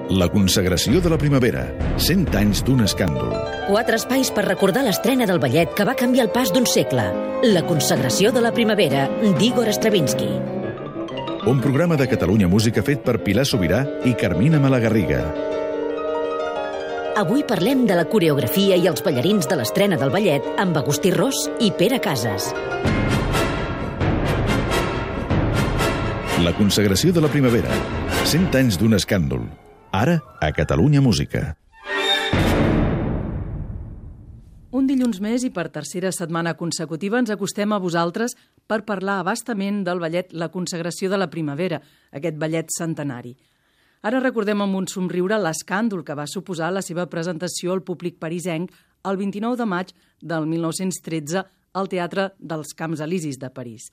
La consagració de la primavera. 100 anys d'un escàndol. 4 espais per recordar l'estrena del ballet que va canviar el pas d'un segle. La consagració de la primavera, d'Igor Stravinsky. Un programa de Catalunya Música fet per Pilar Sobirà i Carmina Malagarriga. Avui parlem de la coreografia i els ballarins de l'estrena del ballet amb Agustí Ros i Pere Casas. La consagració de la primavera. 100 anys d'un escàndol. Ara, a Catalunya Música. Un dilluns més i per tercera setmana consecutiva ens acostem a vosaltres per parlar abastament del ballet La consagració de la primavera, aquest ballet centenari. Ara recordem amb un somriure l'escàndol que va suposar la seva presentació al públic parisenc el 29 de maig del 1913 al Teatre dels Camps Elisis de París.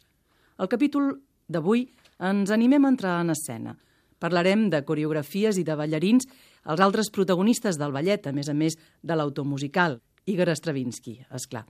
Al capítol d'avui ens animem a entrar en escena. Parlarem de coreografies i de ballarins, els altres protagonistes del ballet, a més de l'autor musical, Igor Stravinsky, esclar.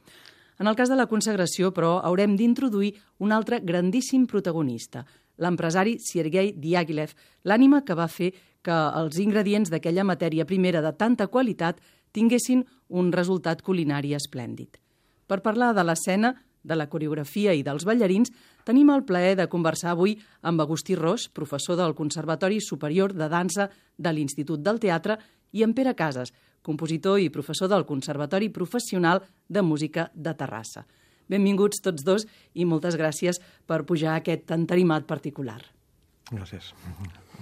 En el cas de la consagració, però, haurem d'introduir un altre grandíssim protagonista, l'empresari Sergei Diaghilev, l'ànima que va fer que els ingredients d'aquella matèria primera de tanta qualitat tinguessin un resultat culinari esplèndid. Per parlar de l'escena, de la coreografia i dels ballarins, tenim el plaer de conversar avui amb Agustí Ros, professor del Conservatori Superior de Dansa de l'Institut del Teatre, i amb Pere Casas, compositor i professor del Conservatori Professional de Música de Terrassa. Benvinguts tots dos i moltes gràcies per pujar a aquest entarimat particular. Gràcies.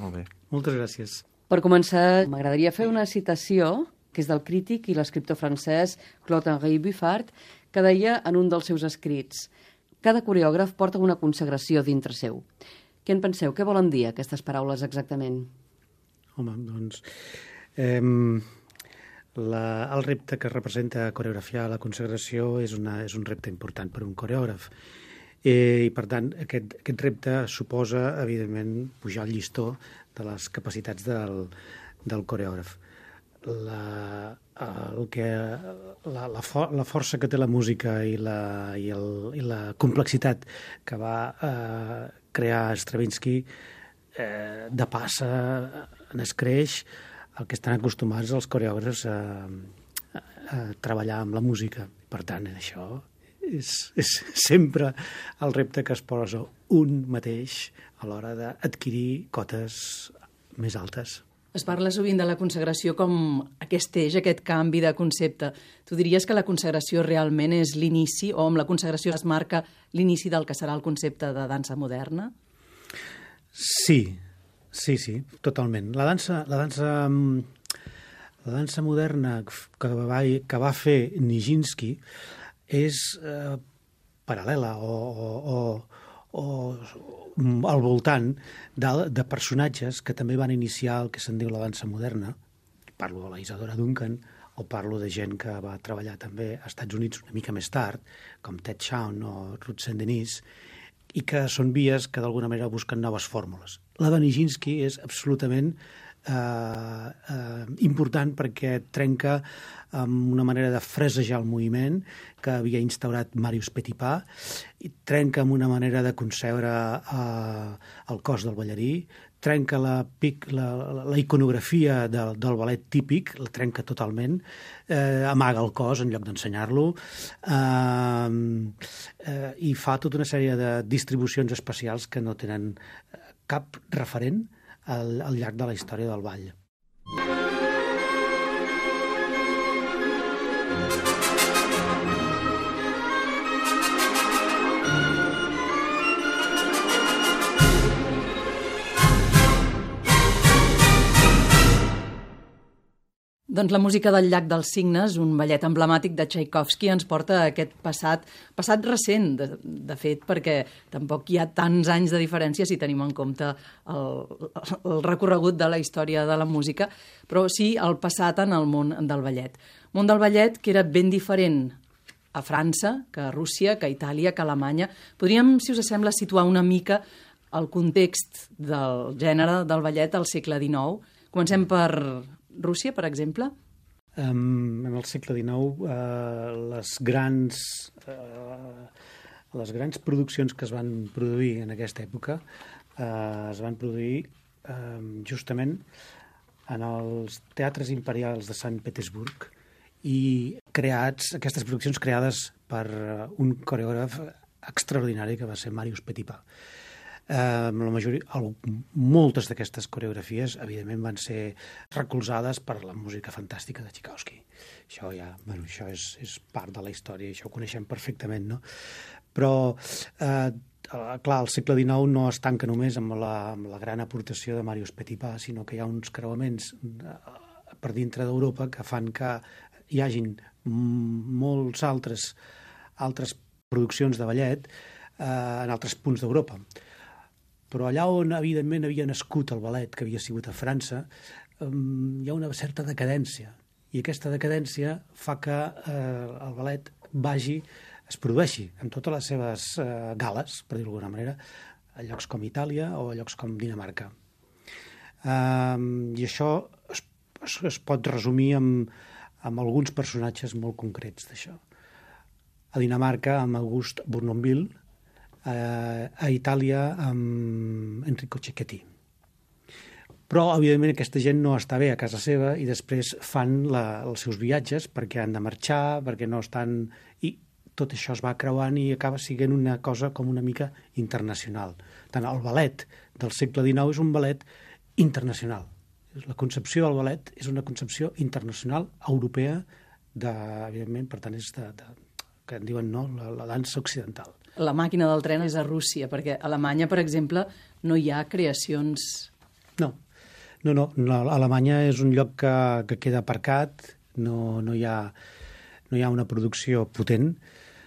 Molt bé. Moltes gràcies. Per començar, m'agradaria fer una citació, que és del crític i l'escriptor francès Claude-Henri Buffard, que deia en un dels seus escrits: cada coreògraf porta una consagració dintre seu. Què en penseu? Què volen dir aquestes paraules exactament? Home, doncs... el repte que representa coreografiar la consagració és un repte important per un coreògraf. I, per tant, aquest repte suposa, evidentment, pujar el llistó de les capacitats del coreògraf. La força que té la música i la complexitat que va crear Stravinsky de passa n'escreix el que estan acostumats els coreògrafs a treballar amb la música. Per tant, això és sempre el repte que es posa un mateix a l'hora d'adquirir cotes més altes. Es parla sovint de la consagració com aquest eix, aquest canvi de concepte. Tu diries que la consagració realment és l'inici, o amb la consagració es marca l'inici del que serà el concepte de dansa moderna? Sí, totalment. La dansa moderna que va fer Nijinsky és paral·lela o al voltant de personatges que també van iniciar el que se'n diu la dansa moderna. Parlo de la Isadora Duncan o parlo de gent que va treballar també als Estats Units una mica més tard, com Ted Shawn o Ruth Saint-Denis, i que són vies que d'alguna manera busquen noves fórmules. La de Nijinsky és absolutament important perquè trenca amb una manera de fresejar el moviment que havia instaurat Marius Petipa, i trenca amb una manera de concebre el cos del ballarí, trenca la iconografia del ballet típic, la trenca totalment, amaga el cos en lloc d'ensenyar-lo, i fa tota una sèrie de distribucions especials que no tenen cap referent al llarg de la història del ball. Doncs la música del Llac dels Cignes, un ballet emblemàtic de Tchaikovsky, ens porta a aquest passat recent, de fet, perquè tampoc hi ha tants anys de diferència si tenim en compte el recorregut de la història de la música, però sí el passat en el món del ballet. Món del ballet que era ben diferent a França, que a Rússia, que a Itàlia, que a Alemanya. Podríem, si us sembla, situar una mica el context del gènere del ballet al segle XIX. Comencem per Rússia, per exemple? En el segle XIX, les grans produccions que es van produir en aquesta època es van produir justament en els teatres imperials de Sant Petersburg i aquestes produccions creades per un coreògraf extraordinari que va ser Marius Petipa. Moltes d'aquestes coreografies, evidentment, van ser recolzades per la música fantàstica de Tchaikovsky. Això és part de la història, això ho coneixem perfectament, no? Però, clar, el segle XIX no es tanca només amb la gran aportació de Marius Petipa, sinó que hi ha uns creuaments per dintre d'Europa que fan que hi hagin molts altres produccions de ballet en altres punts d'Europa. Però allà on, evidentment, havia nascut el ballet, que havia sigut a França, hi ha una certa decadència. I aquesta decadència fa que el ballet es produeixi en totes les seves gales, per dir-ho d'alguna manera, a llocs com Itàlia o a llocs com Dinamarca. I això es pot resumir amb alguns personatges molt concrets d'això. A Dinamarca, amb August Bournonville, a Itàlia amb Enrico Cecchetti. Però, evidentment, aquesta gent no està bé a casa seva i després fan els seus viatges perquè han de marxar, perquè no estan... I tot això es va creuant i acaba sent una cosa com una mica internacional. Tant el ballet del segle XIX és un ballet internacional. La concepció del ballet és una concepció internacional, europea, evidentment, per tant, és que en diuen la dansa occidental. La màquina del tren és a Rússia, perquè a Alemanya, per exemple, no hi ha creacions... No. Alemanya és un lloc que queda aparcat, no hi ha una producció potent,